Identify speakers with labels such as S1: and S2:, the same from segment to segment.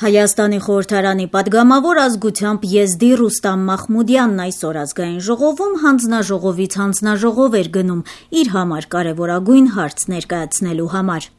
S1: Հայաստանի խորհրդարանի պատգամավոր ազգությամբ եզդի Ռուստամ Մախմուդյանն այսօր ազգային ժողովում հանձնաժողովից հանձնաժողով էր գնում իր համար կարևորագույն հարց ներկայացնելու համար։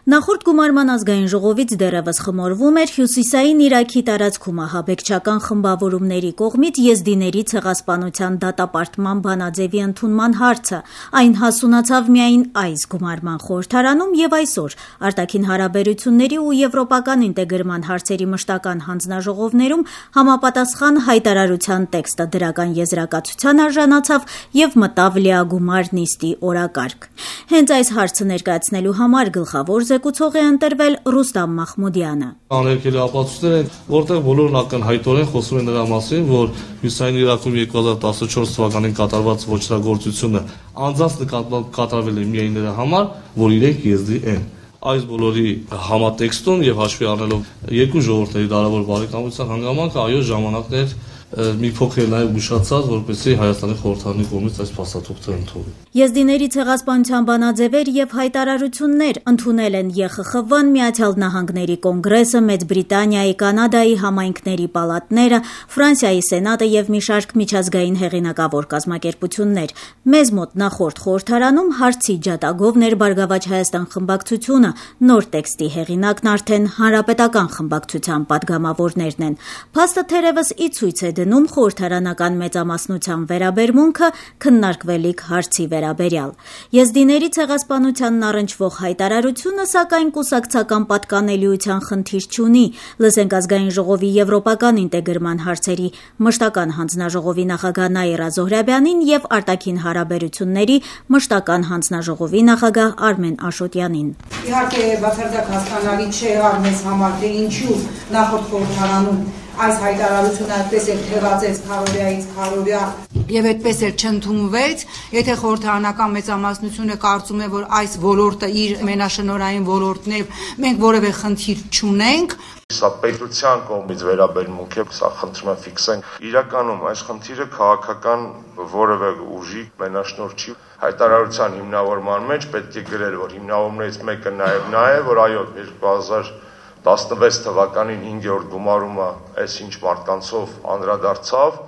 S1: Նախորդ գումարման ազգային ժողովից դեռևս խմորվում էր Հյուսիսային Իրաքի տարածքում ահաբեկչական խմբավորումների կողմից եզդիների ցեղասպանության դատապարտման բանաձևի ընդունման հարցը։ Այն հասունացավ միայն այս գումարման խորհրդարանում եւ այսօր արտաքին հարաբերությունների ու եվրոպական ինտեգրման հարցերի մշտական հանձնաժողովներում համապատասխան հայտարարության տեքստը դրական եզրակացության արժանացավ եւ մտավ լիագումար նիստի օրակարգ։ Հենց այս հարցը ներկայացնելու համար գլխավոր զեկուցող է ընտրվել Ռուստամ Մախմուդյանը։
S2: Աներկելի ապացույցներ են, որտեղ բոլորն ակնհայտորեն խոսում են նրա մասին, որ Հյուսիսային Իրաքում 2014 թվականին կատարված ոչրագործությունը անձանց նկատմամբ կատարվել է միայն նրա համար, որ իրենք եզդի են։ Այս բոլորի համատեքստում եւ հաշվի առնելով երկու ժողովուրդների դարավոր բարեկամության հանգամանքը այո ժամանակներ մի փոքր նաև ուշացած, որպեսզի Հայաստանի խորհրդարանի կողմից այս փաստաթուղթը ընդունվի։
S1: Եզդիների ցեղասպանության բանաձևեր եւ հայտարարություններ ընդունել են ԵԽԽՎ-ն, Միացյալ Նահանգների կոնգրեսը, Մեծ Բրիտանիայի, Կանադայի համայնքների պալատները, Ֆրանսիայի սենատը եւ մի շարք միջազգային հեղինակավոր կազմակերպություններ։ Մեզ մոտ նախորդ խորհրդարանում հարցի ջատագովն էր Բարգավաճ Հայաստան խմբակցությունը, նոր տեքստի հեղինակն արդեն հանրապետական խմբակցության պատգամավորներն են։ Փաստը թերևս ի ցույց է դնում խորհրդարանական մեծամասնության վերաբերմունքը քննարկվելիք հարցի վերաբերյալ։ Եզդիների ցեղասպանությանն առնչվող հայտարարությունը սակայն կուսակցական պատկանելիության խնդիր չունի։ Լսենք ազգային ժողովի եվրոպական ինտեգրման հարցերի մշտական հանձնաժողովի նախագահ Նաիրա Զոհրաբյանին եւ արտաքին հարաբերությունների մշտական հանձնաժողովի նախագահ Արմեն Աշոտյանին։
S3: Իհարկե բացարձակ հասկանալի չէ մեզ համար, թե ինչու նախորդ խորհրդարանում այս հայտարարությունը այդպես էլ թևածեց քարորիայից քարորիա եւ այդպես էլ չընդունվեց, եթե խորհրդարանական մեծամասնությունը կարծում է, որ այս ոլորտը իր մենաշնորհային ոլորտն է, մենք որևէ խնդիր չունենք։
S4: Սա պետության կողմից վերաբերմունք է, սա խնդրում եմ ֆիքսենք։ Իրականում այս խնդիրը քաղաքական որևէ ուժի մենաշնորհ չի։ Հայտարարության հիմնավորման մեջ պետք է գրել, որ հիմնավորումներից մեկը նաեւ նա է, որ այո 2016 թվականին 5-րդ գումարումը այսինչ մարդկանցով անդրադարձավ,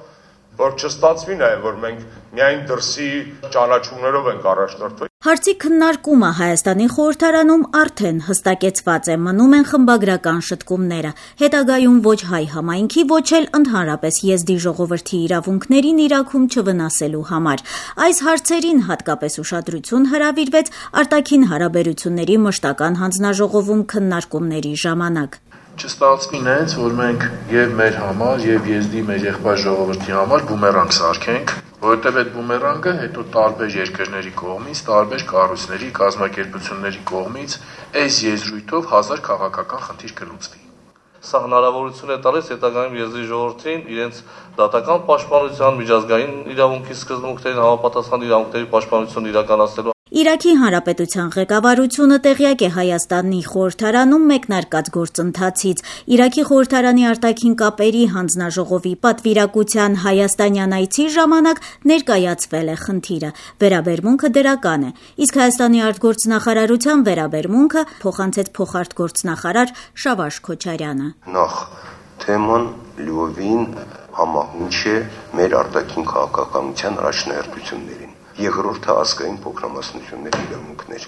S4: որ չստացվի նաև, որ մենք միայն դրսի ճանաչումներով ենք առաջնորդվել։
S1: Հարցի քննարկումը Հայաստանի խորհրդարանում արդեն հստակեցված է, մնում են խմբագրական շտկումները։ Հետագայում ոչ հայ համայնքի, ոչ էլ ընդհանրապես եզդի ժողովրդի իրավունքներին Իրաքում չվնասելու համար։ Այս հարցերին հատկապես ուշադրություն հրավիրվեց արտաքին հարաբերությունների մշտական հանձնաժողովում քննարկումների ժամանակ։
S5: Չստացվի նենց, որ մենք եւ մեր համար, եւ եզդի մեր եղբայր ժողովրդի համար բումերանգ սարքենք, որովհետեւ այդ բումերանգը հետո տարբեր երկրների կողմից, տարբեր կառույցների, կազմակերպությունների կողմից այս եզրույթով 1000 քաղաքական խնդիր կլուծվի։
S2: Սա հնարավորություն է տալիս հետագայում եզդի ժողովրդին իրենց դատական պաշտպանության, միջազգային իրավունքի սկզբունքներին համապատասխան իրավունքների պաշտպանություն իրականացնելու։
S1: Իրաքի Հանրապետության ղեկավարությունը տեղյակ է Հայաստանի խորհրդարանում մեկնարկած գործընթացից։ Իրաքի խորհրդարանի արտաքին կապերի հանձնաժողովի պատվիրակության հայաստանյան այցի ժամանակ ներկայացվել է խնդիրը։ Վերաբերմունքը դրական է, իսկ Հայաստանի արտգործնախարարության վերաբերմունքը փոխանցեց փոխարտգործնախարար Շավարժ Քոչարյանը։
S6: Նախ թեման լիովին համահունչ է մեր արտաքին քաղաքականության առաջնահերթություններին։ Երկրորդը ազգային փոքրամասնությունների իրավունքներ։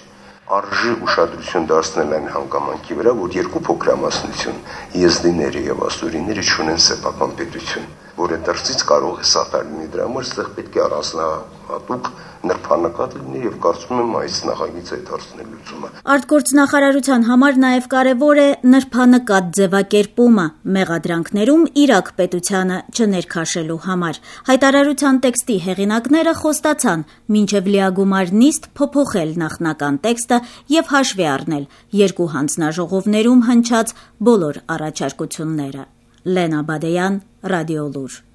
S6: Արժի ուշադրություն դարձնել այն հանգամանքի վրա, որ երկու փոքրամասնություն եզդիները եւ ասորիները չունեն սեփական պետություն, որը դրսից կարող է սատար լինի։ Դրա համար այստեղ պետք է առանձնահատուկ նրբանկատ լինի եւ կարծում եմ այս նախագիծը այդ հարցն է լուծումը։
S1: Արտգործնախարարության համար նաեւ կարեւոր է նրբանկատ ձևակերպումը մեղադրանքներում Իրաք պետությանը չներքաշելու համար։ Հայտարարության տեքստի հեղինակները խոստացան մինչեւ լիագումար նիստ փոփոխել նախնական տեքստը եւ հաշվի առնել երկու հանձնաժողովներում հնչած բոլոր առաջարկությունները։ Լենա Բադեյան, Ռադիոլուր։